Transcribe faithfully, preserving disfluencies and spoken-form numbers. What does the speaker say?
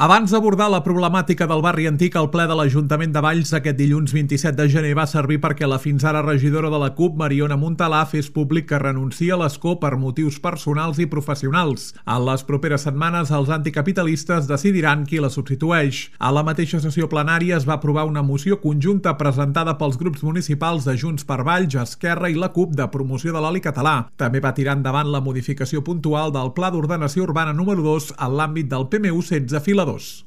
Abans d'abordar la problemàtica del barri antic, el ple de l'Ajuntament de Valls aquest dilluns vint-i-set de gener va servir perquè la fins ara regidora de la CUP, Mariona Montalà, fes públic que renuncia a l'escó per motius personals i professionals. En les properes setmanes, els anticapitalistes decidiran qui la substitueix. A la mateixa sessió plenària es va aprovar una moció conjunta presentada pels grups municipals de Junts per Valls, Esquerra i la CUP de promoció de l'oli català. També va tirar endavant la modificació puntual del Pla d'Ordenació Urbana número dos en l'àmbit del P M U setze fila dos.